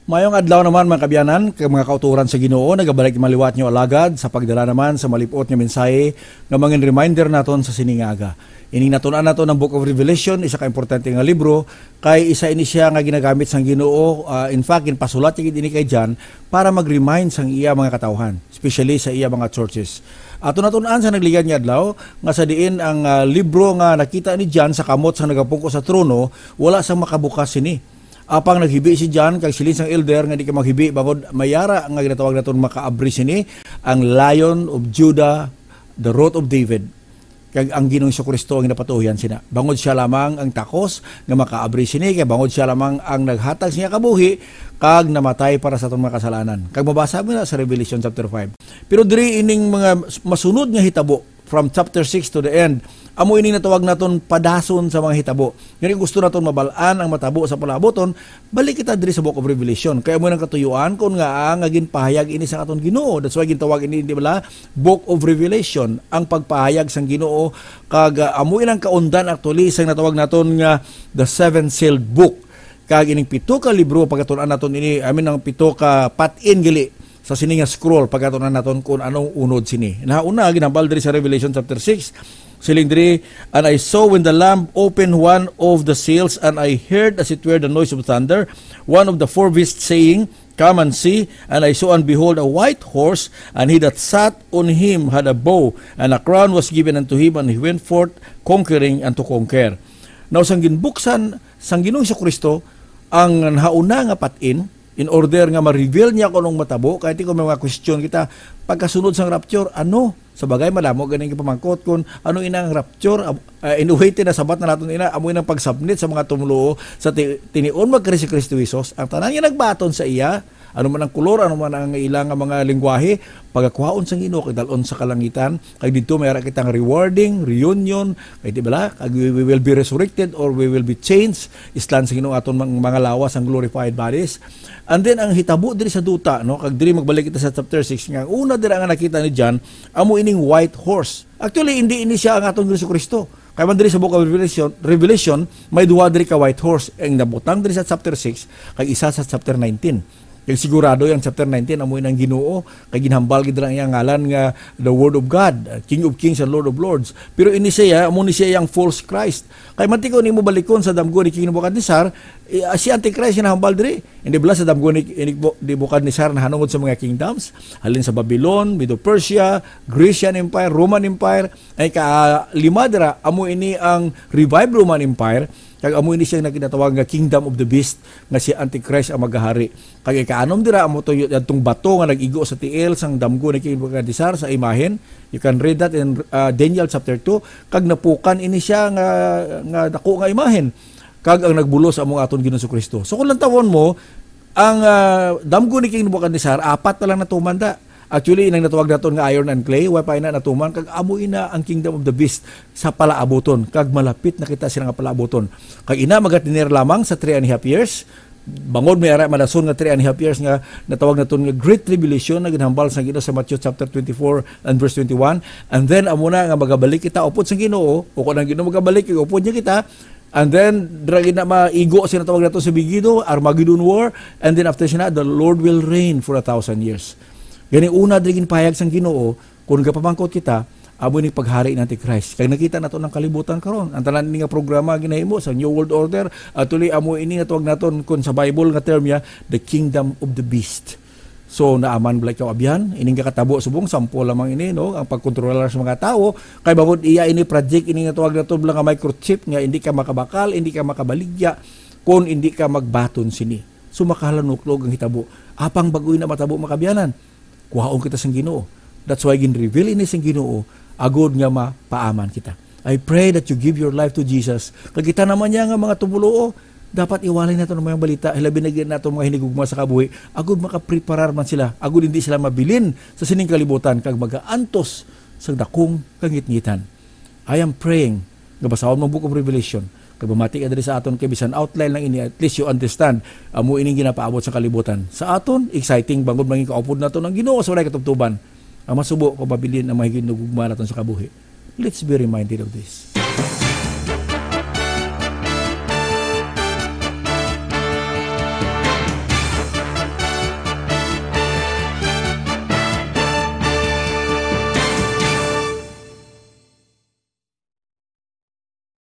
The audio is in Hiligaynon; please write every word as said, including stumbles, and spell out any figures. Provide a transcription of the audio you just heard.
Mayong adlaw naman, mga kabyanan, kag mga kauturan sa Ginoo, nagabalik maliwat nyo alagad sa pagdala naman sa malipot nga mensahe nga mangin reminder naton sa sining nga aga. Ining natun-an naton ang Book of Revelation, isa ka importante nga libro, kay isa ini siya nga ginagamit sang Ginoo. Ah, in fact, ginpasulat niya gid ini kay John para mag-remind sang iya mga katawhan, especially sa iya mga churches. Ato natun-an sa nagligad nga adlaw nga sa diin ang, ah, libro nga nakita ni John sa kamot sa nagapungko sa trono, wala sang makabukas sini. Apang naghibi si John kag siling sang elder nga di ka maghibi bangod may ara nga ginatawag naton makaabri sini ang Lion of Judah, the Root of David. Kag ang Ginoong Jesu-Cristo ang ginapatuohan sina. Bangod siya lamang ang takos nga makaabri sini, kay bangod siya lamang ang naghatag sa iya kabuhi kag namatay para sa atong mga kasalanan. Kag mabasa mo na sa Revelation chapter five. Pero diri ining mga masunod nga hitabo from chapter six to the end, amo ining natawag naton padason sa mga hitabo. Gani gusto naton mabal-an ang matabo sa palaabuton, balik kita diri sa Book of Revelation. Kay amo nang katuyuan kon ngaa nga ginpahayag ini sa aton Ginoo. That's why gintawag ini, di bala, Book of Revelation, ang pagpahayag sang Ginoo, kag, ah, amo inang kaundan actually sang natawag naton nga the seven sealed book. Kag ining pito ka libro, pagkatun-an naton ini, I mean, ang pito ka patin gali sa sini nga scroll, pagkatun-an naton kung anong unod sini. Nahauna, ginhambal diri sa Revelation chapter six, siling diri, "And I saw when the Lamb opened one of the seals, and I heard, as it were, the noise of thunder, one of the four beasts saying, 'Come and see.' And I saw, and behold, a white horse, and he that sat on him had a bow, and a crown was given unto him, and he went forth conquering and to conquer." Now, sang ginbuksan sang Ginoong Jesu-Cristo ang nahauna nga patin, in order nga ma-reveal niya kung anong matabo, kay ti kung may mga question kita, pagkasunod sang rapture, ano? Sa bagay, malamo ganing ipamangkot kung ano ina ang rapture. Ab-, ah, in a way, tinasabat na naton ina, amo inang pagsabnit sa mga tumluo sa ti-, tinion magkari si Kristo Jesus. Ang tanan nga nagbaton sa iya, ano man ang kulor, ano man ang ila nga mga lingwahe, pagakuhaon sa Ginoo kag dal-on sa kalangitan. Kag didto may ara kitang rewarding reunion, kay di bala, kag we, we will be resurrected or we will be changed. Islan sa Ginoo aton mang-, mga lawas ang glorified bodies. And then ang hitabo diri sa duta, no, kag diri magbalik kita sa chapter six, nga ang una dira nga nakita ni John, amo ining white horse. Actually, hindi ini siya ang aton Jesu Cristo. Kay man diri sa Book of Revelation, Revelation, may duha diri ka white horse, ang nabutang diri sa chapter six, kag isa sa chapter nineteen. Kag sigurado ang chapter nineteen, amo ang Ginoo, kay ginhambal gid ang iyang ngalan nga the Word of God, uh, King of Kings and Lord of Lords. Pero ini siya, amo ni siya ang false Christ. Kay manti ko nimo balikon sa damgo ni King Nebuchadnezzar, eh, si Antichrist ginahambal diri. Hindi bala sa damgo ni, ni Bo-, Nebuchadnezzar nahanungod sa mga kingdoms, halin sa Babylon, Medo-Persia, Grecian Empire, Roman Empire, ay ka lima dira, amo ini ang revived Roman Empire, kag amo ini siya nga ginatawag nga Kingdom of the Beast, nga si Antichrist ang maghahari. Kag ikaanom dira, amo to y-, yadtong bato nga nag-igo sa tiil sang damgo ni King Nebuchadnezzar sa imahen. You can read that in, uh, Daniel chapter two. Kag napukan ini siya nga, nga dako nga imahen. Kag ang nagbulos amo nga aton Ginoong Kristo. So kung lantawon mo, ang, ah, damgo ni King Nebuchadnezzar, apat na lang natuman da. Actually, inang natawag naton nga iron and clay, wa pa ina natuman, kag amo ina ang kingdom of the beast sa palaabuton, kag malapit na kita sila nga palaabuton. Kag ina magatener lamang sa three and a half years, bangod may ara madason nga three and a half years nga natawag naton nga Great Tribulation, nga ginhambal sa Ginoo sa Matthew chapter twenty-four and verse twenty-one. And then, amo na nga magabalik kita upod sa Ginoo, o kung ang Ginoo magabalik, upod niya kita, And then, dira gid na maigo sila tawag nato sa Megiddo, Armageddon War. And then after sina, the Lord will reign for a thousand years. Gani una diri ginpahayag sang Ginoo, kung gapamangkot kita, amo ni paghari ni Antichrist. Kag nakita nato ang kalibutan karon. Ang tanan ni nga programa ginahimo sa New World Order, actually amo ini nga tawag naton kun sa Bible nga term niya, the kingdom of the beast. So, naaman bala ikaw, abyan? Ining kakatabo subong, sample lamang ini, no? Ang pagkontrolar sa mga tawo, kay bangod iya ini project, ini nga tawag nato bala nga microchip nga hindi ka makabakal, hindi ka makabaligya, kung hindi ka magbaton sini. So, makahalanuklog ang hitabo. Apang bag-o na matabo, mga kabyanan, kuhaon kita sang Ginoo. That's why gin-reveal ini sang Ginoo, agod nga mapaaman kita. I pray that you give your life to Jesus. Kag kita naman niya nga mga tumuluo, dapat iwalay nato ang mga balita, hilabi na gid nato mga hinigugma sa kabuhi, agud makapreparar man sila, agud hindi sila mabilin sa sining kalibutan kag magaantos sa dakong kangitngitan. I am praying nga basahon mo ang Book of Revelation, kag mamati ka diri sa aton, kay bisan outline lang ini, at least you understand, amo ining ginapaabot sa kalibutan. Sa aton, exciting, bangod mangin kaupod nato ang Ginoo sa walay katubtoban. Ang masubo ko mabilin ang mga hinigugma naton sa kabuhi. Let's be reminded of this.